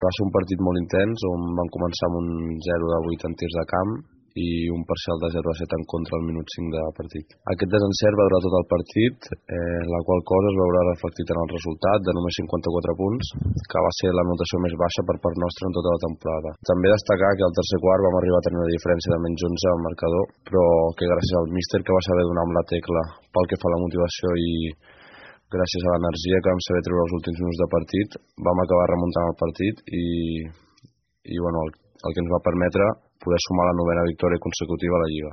Va ser un partit molt intens on van començar amb un 0-8 en tirs de camp i un parcial de 0-7 en contra al minut 5 de partit. Aquest desencert va durar tot el partit, la qual cosa es veurà reflectit en el resultat de només 54 punts, que va ser la notació més baixa per part nostra en tota la temporada. També destacar que al tercer quart vam arribar a tenir una diferència de menys 11 al marcador, però que gràcies al míster que va saber donar amb la tecla pel que fa a la motivació i gràcies a l'energia que vam saber treure els últims minuts de partit, vam acabar remuntant el partit i bueno, el que ens va permetre poder sumar la 9a victòria consecutiva a la Lliga.